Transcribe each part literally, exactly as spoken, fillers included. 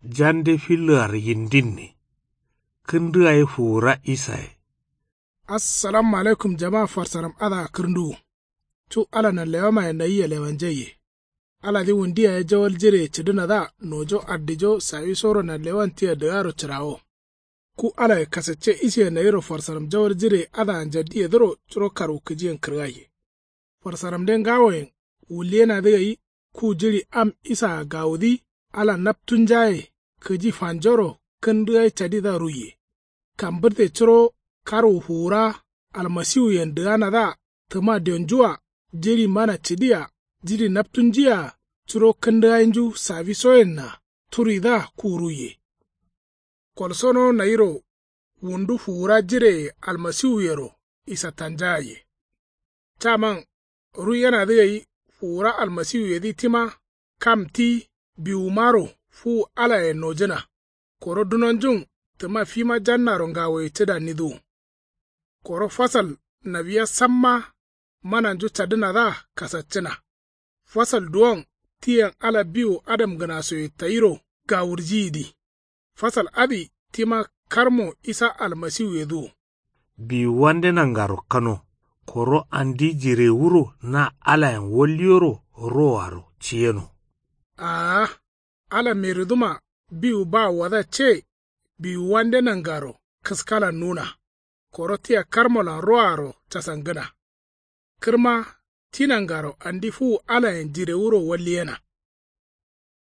Jande filloaro yindinne. Kǝndǝ gai fuwura isaye. Assalamu alaikum jama farsaram adǝa kǝrnduwu. Cu ala nanlewamaye nayia lewanjaiye. Aladǝ wundu yaye jawal jireye cǝdǝnadǝa nojo ardijo sawisoro nanlewan tia dǝgaro cǝrawo. Ku alaye kasacce isiye nayiro farsaram jawal jireye adǝa njaddiyedǝro curo karwukǝjiyen kǝrgaiye. Farsaramde ngawoyen wulliyenadǝ gai. Ku jiɍi am isaa gawudǝ ala naptunjaye kǝji fanjoro kǝndǝ gai cadidǝa ruiye. Kambǝrte curo karwu fuwura almasiwuyen dǝganadǝa tǝma dionjua jiɍi mana cǝdia jiɍi naptunjuyea curo kǝndǝ gainju sawisoyenna turidǝa ku ruiye. Kolsono nayiro wundu fuwura jireye almasiwuyero isattanjagaiye. Caman ruiyenadǝ gai fuwura almasiwuyedǝ tima kam ti biwumaro fuwu alayen nojǝna. Koro dunonjun tǝma fima jannaro ngawoye cǝdannidǝwun. Koro fasal nawiya samma mananju cadǝnadǝa kasaccǝna. Fasal duwon tiyen ala biwu adamgǝnasoye tayiro gawurjiyidǝ. Fasal adǝ tima karmo isa almasiwuyedǝ wo. Biwuwande nangaro kano. Koro andi jirewuro na alayen walliyoro roaro ciyeno. Aa ala meriduma biwu bawuwadǝa ce. Biwuwande nangaro kǝskalan nuna. Koro tia karmolan roaro casangǝna. Kǝrma ti nangaro andi fuwu alayen jirewuro walliyena.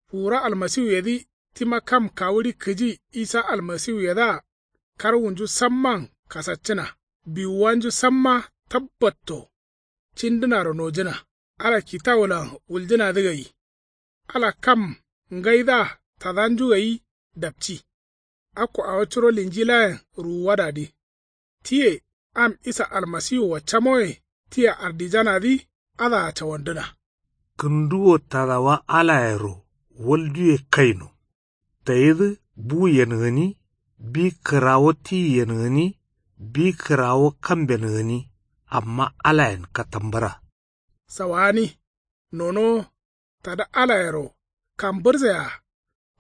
Fuwura almasiwuyedǝ tima kam kawuɍi kǝji isa almasiwuyedǝa karwunju samman kasaccǝna. Biwuwanju samma tabbatto cindǝnaro nojǝna. Ala kitawulan wuljǝnadǝ gai. Ala kam ngaidǝa tadanju gai dapci. Akko awo curo linjilayen ruwuwadadǝ. Tiye am isa almasiwua camoye tia ardijanadǝ adǝa cawandǝna. Kǝnduwo tadawa alayero walduwe kaino. Tayidǝ buyen gǝni. Bi kǝrawo tiyen gǝni. Bi kǝrawo kamben gǝni. Amma alayen katambǝra. Sawagani nonowo tada alayero kambǝrse-a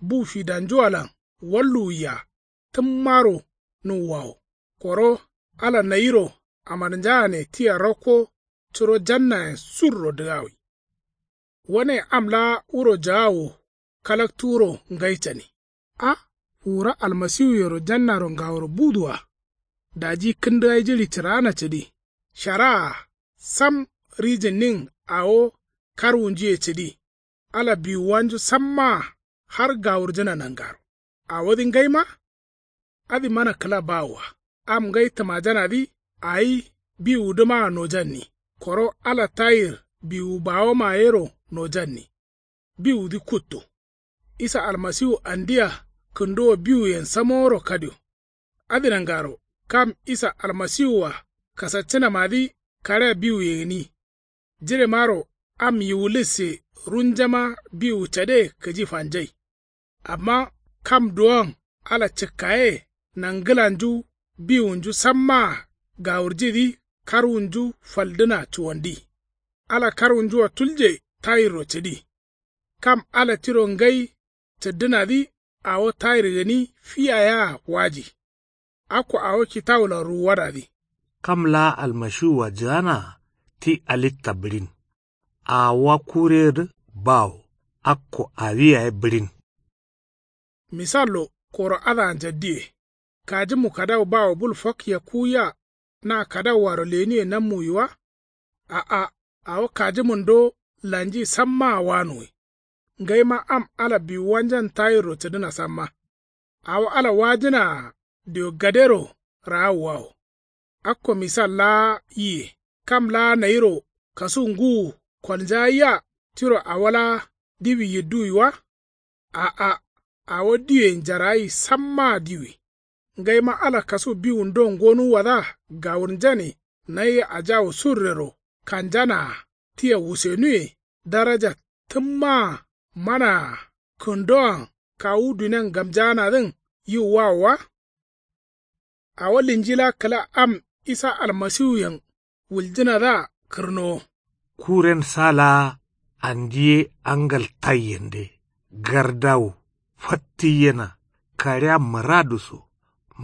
bu fidanjuwalan walluwwi-a tǝmmaro nuwwawo. Koro ala nayiro amarnjagane tia rakko curo jannayen surro dǝgawi. Wane am laa wuro jagawo kalaktu wuro ngai cani. A fuwura almasiwuyero jannaro ngaworo buduwa. Daji kǝndǝgai jiɍi cǝraana cǝdi. Sharaa sam rijǝnnin awo karwunjuye cǝdi. Ala biwuwanju sammaa har gawurjǝna nangaro. Awodǝ ngaima adǝ mana kǝla bawoa. Am ngai tǝmajanadǝ awi biwudǝmaa nojanni. Koro ala tayir biwu bawomayero nojanni. Biwudǝ kuttu. Isa almasiwu andia kǝnduwo biwuyen samoworo kadio. Adǝ nangaro kam isa almasiwua kasaccǝnamadǝ kaɍea biwuye gǝni. Jiremaro am yiwulisse runjama biwu cade kǝji fanjai. Amma kam duwon ala cǝkkaye nangǝlanju biwunju sammaa gawurjidǝ karwunju faldǝna cuwandi. Ala karwunjua tulje tayirro cǝdi. Kam ala tiro ngai cǝddǝnadǝ awo tayir gǝni fiya yea waji. Akko awo kitawulan ruwuwadadǝ. Kam laa almashiwua jǝganaa ti alitta bǝɍin. Awowa kureyedǝ bawo akko awi yaye bǝɍin. Misallo koro adǝa njaddiye. Kajǝmu kadawu bawo bul fokkiya kuwiya na kadawuaro lenuwe nammuwi wa? A'a awo kajǝmun do lanji sammaa wanuwi. Ngaima am ala biwuwanjan tayirro cǝdǝna samma. Awo ala wajǝnaa dio gadero raawuwawo. Akko misal laa yiye. Kam laa nayiro kasu ngǝwu kolnjagaiya tiro awo laa diwi yidduwi wa? A'a awo diwe njaragai sammaa diwi. Ngaima ala kasu biwun do ngonuwwadǝa gawurnjane nayia ajawu surrero kanjanaa tia wusenuwe daraja tǝmmaa manaa kǝndowan kawu dunian gamjaanadǝn yiwwawo wa? Awo linjila kǝla am isa almasiwuyen wuljǝnadǝa kǝrnowo. Kuren sa laa andi ye angal taiyende gardawu. fattǝyyena. Kaɍea mǝradǝ so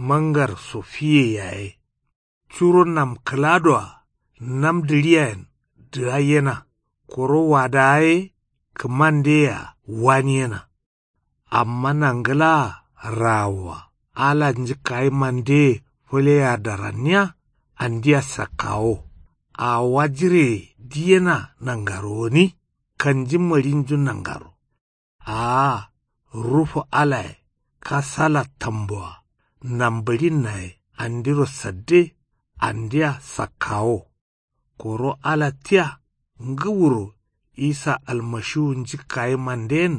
mangar so fiye yaye. Curo nam kǝladoa nam dǝɍiyayen dǝgaiyena. Koro wadawa ye kǝmandeyea waniyena. Amma nangǝlaa raawoa ala njǝkkayimandeye fǝleyea daranniya. Andia sakkawo. Awowa jireye diyena nangaro gǝni. Kanji maɍinju nangaro. Aa rufu alaye kasala tamboa nambǝɍinnaye andiro sadde. Andia sakkawo. Koro ala tia ngǝwuro isa almashiwu njǝkkayimanden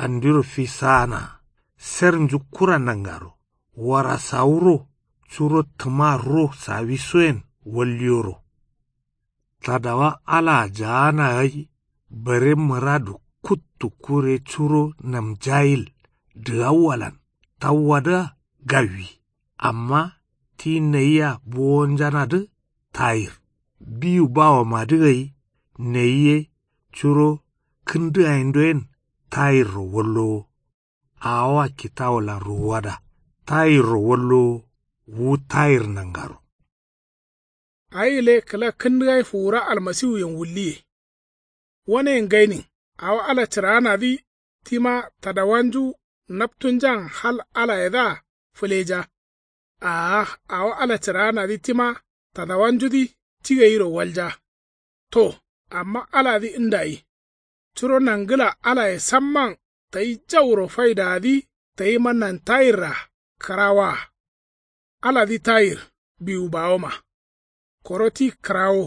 andiro fisaanaa. Sernju kura nangaro warasawuro curo tǝma ro sawisoyen walliyoro. Tadawa alaa jaana gai bare mǝradu kuttu kure curo namjayil dǝgawwalan tawwadǝa gawwi. Amma ti nayia bowonjanadǝ tayir biwu bawomadǝ gai. Nayi ye curo kǝndǝgayindoyen tayirro wallowo. Awowa kitawulan ruwuwada tayirro wallowo. Wu tayir nangaro. Ayi gǝle kǝla kǝndǝgai fuwura almasiwuyen wulliye. Waneyen gainin awo ala cǝraanadǝ tima tadawanju naptunjan hal alayedǝa fǝleja. Aa awo ala cǝraanadǝ tima tadawanjudǝ ti gairo walja. To amma aladǝ ndayi. Curo nangǝla alaye samman tayi jauro faidadǝ tayima nantayirra kǝrawaa. Aladǝ tayir biwu bawoma. Koro ti kǝrawo.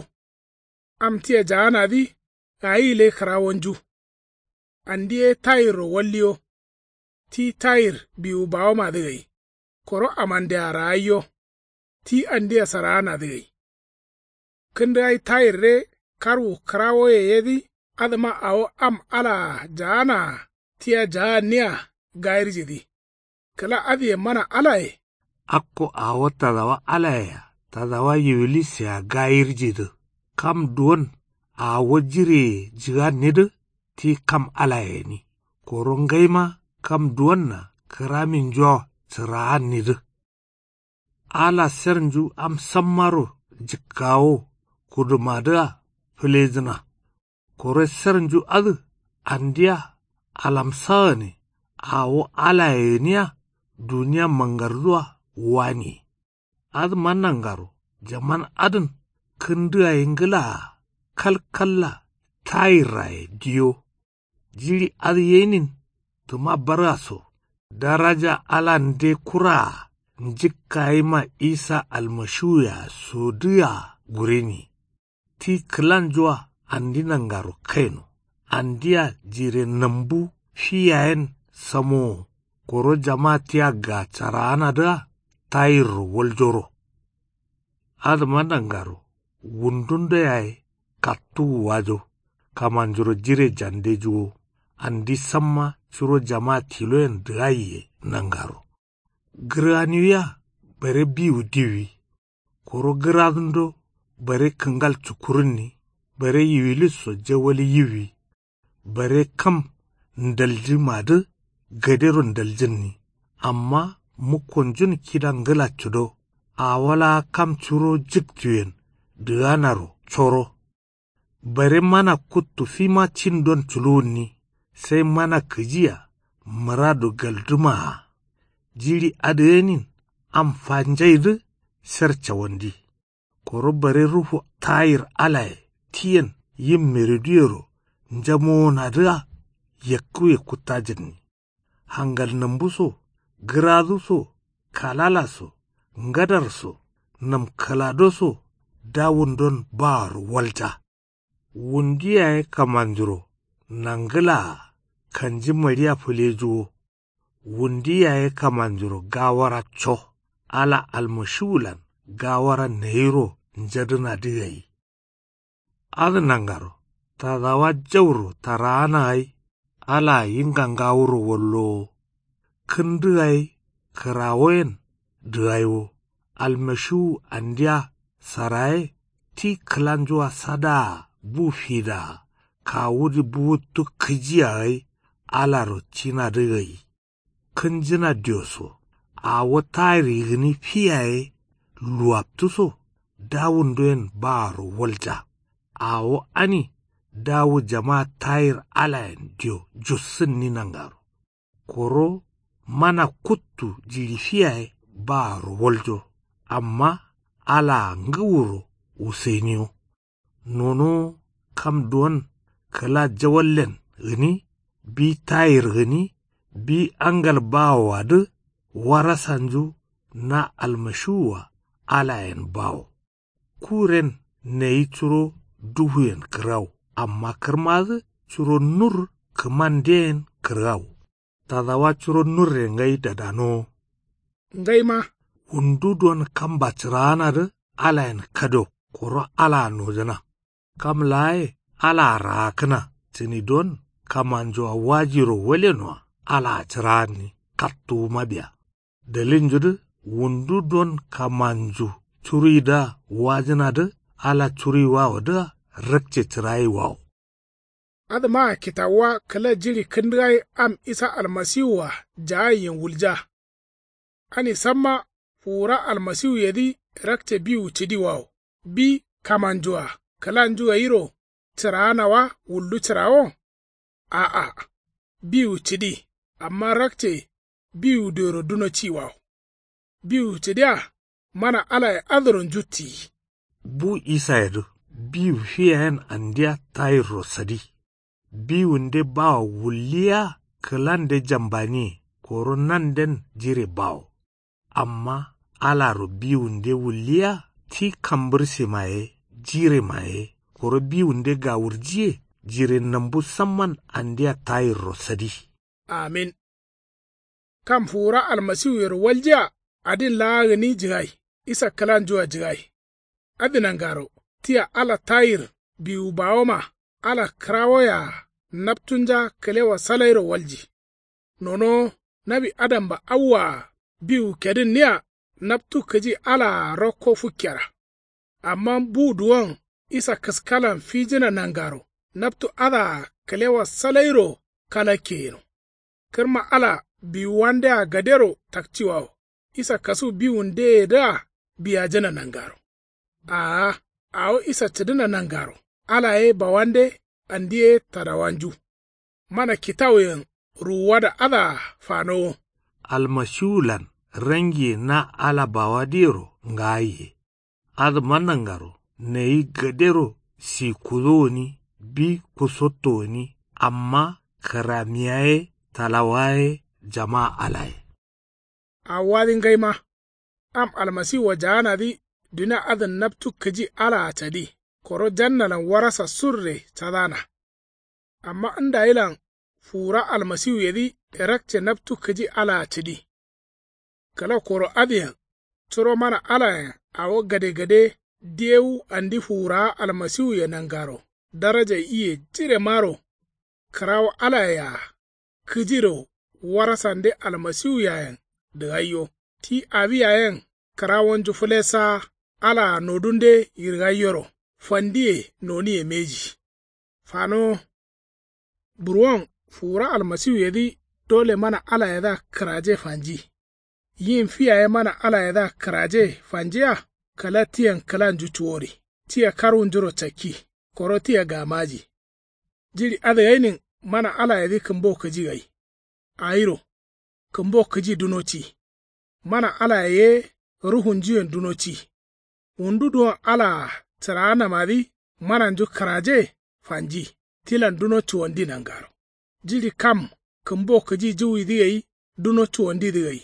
Am tia jaanadǝ ayi gǝle kǝrawonju. Andi ye tayirro walliyo. Ti tayir biwu bawomadǝ gai. Koro amandea raaiyo. Ti andia saraanadǝ gai. Kǝndǝgai tayirre karwu kǝrawoye yedǝ. Adǝma awo am alaa jaanaa tia jaanniya gayirjidǝ. Kǝla adǝyen mana alaye. Akko awo tadawa alayea tadawa yiwilisea gayirjidǝ. Kam duwon awo jireye jǝgannidǝ ti kam alaye gǝni. Koro ngaima kam duwonna kǝraminjua cǝraannidǝ. Ala sernju am sammaro jǝkkawo kudumadǝa fǝlejǝna. Koro sernju adǝ andia alamsagǝne awo alaye gǝnia duniya mangardua waniye. Adǝma nangaro jaman adǝn kǝndǝgayi ngǝlaa kalkalla tayirraye diyo. Jiɍi adǝ yenin tǝma barga so daraja alande kuraa njǝkkayima isa almashiwuye-a sodǝa gureni. Ti kǝlanjua andi nangaro kaino. Andia jire nambu fi yayen samowo. Koro jama tia gacaraanadǝa tayirro waljoro. Adǝma nangaro wundundo yaye kattuwu wajo. Kamanjuro jire jandejuwo. Andi samma curo jama tiloyen dǝgaiye nangaro. Gǝrganiwia bare biwu diwwi. Koro gǝradundo bare kǝngal cukkurǝnni. Bare yiwilisso jawal yiwwi. Bare kam ndaljǝmadǝ gadero ndaljǝnni. Amma mukkonjun kida ngǝla cudo. Awo laa kam curo jǝktuyen dǝganaro coro. Bare mana kuttu fima cindon culuwunni. Sai mana kǝjiya mǝradu galdǝmaa. Jiɍi adǝ yenin am fanjaidǝ sar cawandi. Koro bare rufu tayir alaye tiyen yim meriduyero njamowonadǝa yakkǝwe kuttajǝnni. Hangal nambu so gǝradu so kalala so ngadar so namkǝlado so dawundon baaro walja. Wundi yaye kamanjuro nangǝlaa kanji maɍiya fǝlejuwo. Wundi yaye kamanjuro gawara co. Ala almashiwulan gawara nayiro njadǝnadǝ gai. Adǝ nangaro tadawa jauro taraana gai. Alaa yingangawuro wallowo. Kǝndǝgai kǝrawoyen dǝgaiwo. Almashiwu andia saraye ti kǝlanjua sadaa bu fidaa kawudǝ buwuttu kǝjiya gai. Alaro cinadǝ gai. kǝnjǝna dioso. Awo tayir gǝni fiyaye luwaptǝso dawundoyen baaro walja. Awo ani dawu jama tayir alayen dio jussǝnni nangaro. Koro mana kuttu jiɍi fiyaye baaro waljo. Amma alaa ngǝwuro wuseniyo. Nonowo kam duwon kǝla jawallen gǝni, bi tayir gǝni, bi angal bawoadǝ warasanju na almashiwua alayen bawo. Kuren neyi curo duhuyen kǝrgau, amma kǝrmadǝ curo nur kǝmandeye yen kǝrgau. Tadawa curo nurre ngai dadanowo. Ngaima wundu duwon kamba cǝraanadǝ alayen kado koro alaa nojǝna. Kam laaye alaa raakǝna cǝni duwon kamanjua wajiro walenoa alaa cǝraanni kattuwuma biya. Dalilnjudǝ wundu duwon kamanju curuidǝa wajǝnadǝ ala curuiwawodǝa rakce cǝraiwawo. Adǝmaa kitawuwa kǝla jiɍi kǝndǝgai am isa almasiwua jaagaiyen wulja. Ani samma fuwura almasiwuyedǝ rakce biwu cǝdiwawo. Bi kamanjua kǝlanju gairo cǝraana wa wuldu cǝrawo? A'a. Biwu cǝdi. Amma rakce biwu dioyero duno ciwawo. Biwu cǝdiya mana alaye adǝro njuttiyi. Bu isayedǝ biwu fiyayen andia tayirro sadi. Biwunde bawo wulliya kǝlande jambaniye koro nanden jire bawo. Amma alaro biwunde wulliya ti kambǝrsema ye jirema ye koro biwunde gawurjiye jire nambu samman andia tayirro sadi. Amin. Kam fuwura almasiwuyero waljiya adin laa gǝni jǝgai isa kǝlanjua jǝgai. Adǝ nangaro tia ala tayir biwu bawoma ala kǝrawoyea naptunja kǝlewa salairo walji. Nonowo nawi adamba awwaa biwu kedǝnniya naptu kǝji alaa rokko fukkera. Amma bu duwon isa kǝskalan fijǝna nangaro naptu adǝa kǝlewa salairo kalakke yeno. Kǝrma ala biwuwandea gadero takciwawo isa kasu biwundeyedǝa biyajǝna nangaro. Aa awo isa cǝdǝna nangaro ala ye bawande andi ye tadawanju. Mana kitawuyen ruwuwada adǝa fanowo. Almasiwulan rangiye na ala bawadǝyero ngaaye. Adǝma nangaro nayi gadero sikudo gǝni bi kusotto gǝni amma kǝramiya ye talawa ye jama alaye. Awo adǝ ngaima am almasiwua jaanadǝ dunia adǝn naptu kǝji alaa cadi koro jannalan warasa surre cadana. Amma ndayilan fuwura almasiwuyedǝ rakce naptu kǝji alaa cǝdi. Kǝla koro adǝyen curo mana alayen awo gadegade diyewu andi fuwurawa almasiwuye nangaro daraja iye jiremaro kǝrawo alayea kǝjiro warasande almasiwuyayen dǝgaiyo ti awi yayen kǝrawonju fǝlessawa alaa nodunde yirgaiyoro fandiye noniye mbeji. Fanowo. Burwon fuwura almasiwuyedǝ dole mana alayedǝa kǝraje fanji. Yin fi yaye mana alayedǝa kǝraje fanjiya kǝla tiyen kǝlanju cuwori tia karwunjuro cakki koro tia gamaji. Jiɍi adǝ gainin mana alayedǝ kǝmbo kǝji gai. Awiro kǝmbo kǝji duno ci. Mana alaye ye ruhunjuyen duno ci. Wundu duwon alaa cǝraanamadǝ mananju kǝraje fanji tilan duno cuwandi nangaro. Jiɍi kam kǝmbo kǝji juwidǝ gai duno cuwandidǝ gai.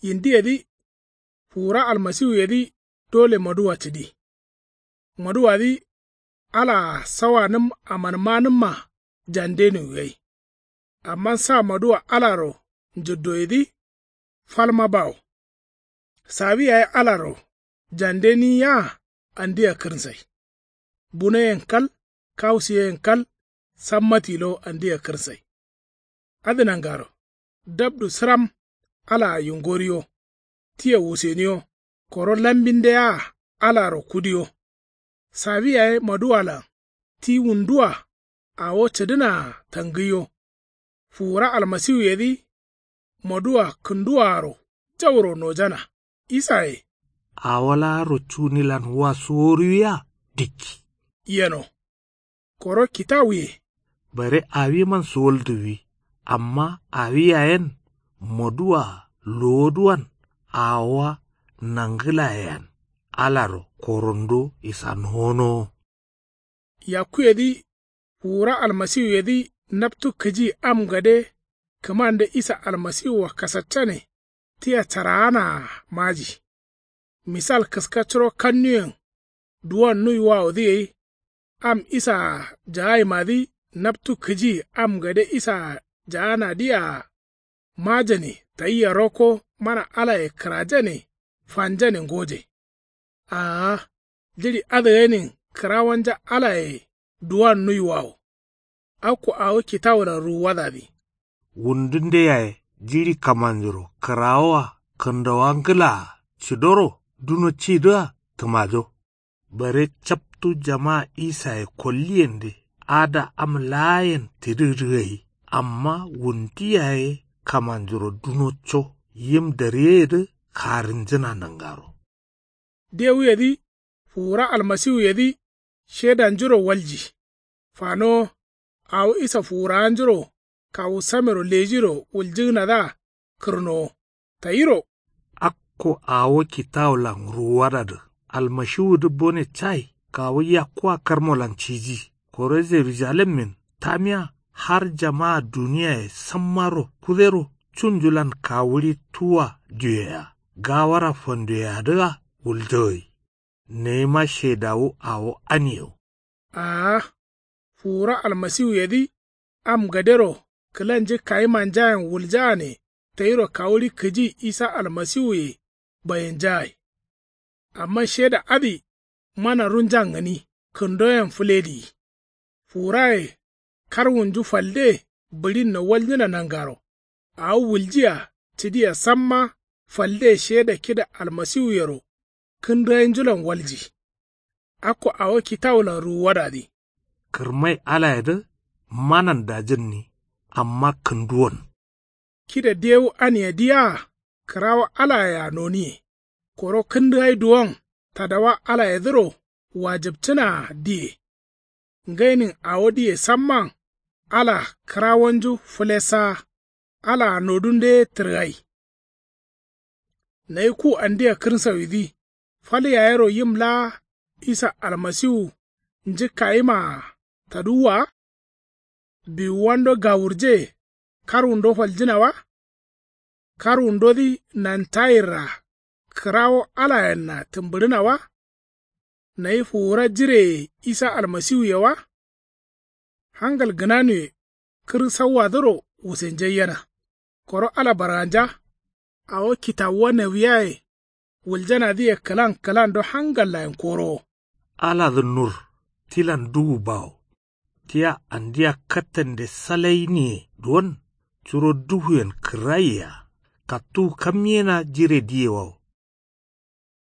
Yindiyedǝ fuwura almasiwuyedǝ dole maduwa cǝdi. Maduwadǝ alaa sawanǝm amanmanǝmma jandeniwu gai. Amma sa maduwa alaro njǝddoyedǝ falma bawo. Sawi yaye alaro jandeniyiya andia kǝrsai. Bunoyen kal kausiyeyen kal samma tilo andia kǝrsai. Adǝ nangaro dabdu sǝram alaa yungoriyo tia wuseniyo koro lambindeyea alaro kudiyo. Sawi yaye maduwalan ti wundua awo cǝdǝnaa tangǝiyo. Fuwura almasiwuyedǝ moduwa kǝnduwaaro jauro nojana. Isaye. Awo laaro cunilan wa suworuwiya dikki. Yeno. Koro kitawuye. Bare awiman suwalduwwi. Amma awi yayen moduwa lowoduwan awowa nangǝlayeyen alaro korondo isanonowo. Yakkuyedǝ fuwura almasiwuyedǝ naptu kǝji am gade kǝmande isa almasiwua kasaccane tia caraanaa maji. Misal kǝska curo kannuyen duwon nuiwawodǝ gai am isaa jagaimadǝ naptu kǝji am gade isaa jaganadǝyea majane tayia rokko mana alaye kǝrajane fanjane ngoje. Aa jiɍi adǝ gainin kǝrawanja alaye duwon nuiwawo. Akko awo kitawulan ruwuwadadǝ. Wundunde yaye jiɍi kamanjuro kǝrawoa kǝndawa ngǝlaa cidoro duno cidǝa tǝmajo. Bare captu jamaa isaye kolliyende ada am laayen tidǝgǝdǝ gai amma wundi yaye kamanjuro dunoco yim dariyeyedǝ karǝnjǝna nangaro. Dewuyedǝ fuwura almasiwuyedǝ shedanjuro walji. Fanowo awo isa fuwurawanjuro kawu samero lejiro wuljǝgǝnadǝa kǝrnowo tayiro. Akko awo kitawulan ruwuwadadǝ almashiwudǝ bone cai kawu yakkua karmolan ciji koro jerujalemmin tamiya har jamaa duniyaye sammaro kudero cunjulan kawuɍi tuwa diyoyea gawara fandoyeyadǝa wulja gai. Nayima shedawu awo aniyewo. Aa fuwura almasiwuyedǝ am gadero kǝlanji kayimanjayen wuljaane tayiro kawuɍi kǝji isa almasiwuye bayinjagai. Amma sheda adǝ mana runjan gǝni kǝndoyen fǝlediyi. Fuwuraye karwunju falde bǝɍinno waljǝna nangaro awo wuljiya cǝdiya samma falde sheda kida almasiwuyero kǝndǝgainjulan walji. Akko awo kitawulan ruwuwadadǝ. Kǝrmai alayedǝ manan dajǝnni amma kǝnduwon. Kida dewu aniyedǝyea kǝrawo alayea noniye. Koro kǝndǝgai duwon tadawa alayedǝro wajǝpcǝnaa diye. Ngainin awodǝye samman ala kǝrawonju fǝlessaa alaa nodunde ye tǝrgai. Nayi ku andia kǝrsawidǝ fal yayero yim laa isa almasiwu njǝkkayimaa taduwwa wa. Biwuwando gawurje karwundo faljǝna wa. Karwundodǝ nantayirra kǝrawo alayenna tǝmbǝɍǝna wa. Nayi fuwura jireye isa almasiwuye wa. Hangal gǝnanuwe kǝrsauwadǝro wusenjaiyena. Koro ala barganja awo kitawuwa nawiyaye wuljanadǝye kǝlan kǝlando hangallayen korowo. Aladǝ nur tilan duwu bawo. Tia andia kattande salainiye duwon curo duhuyen kǝrraiyea kattuwu kamyena jiredǝyewawo.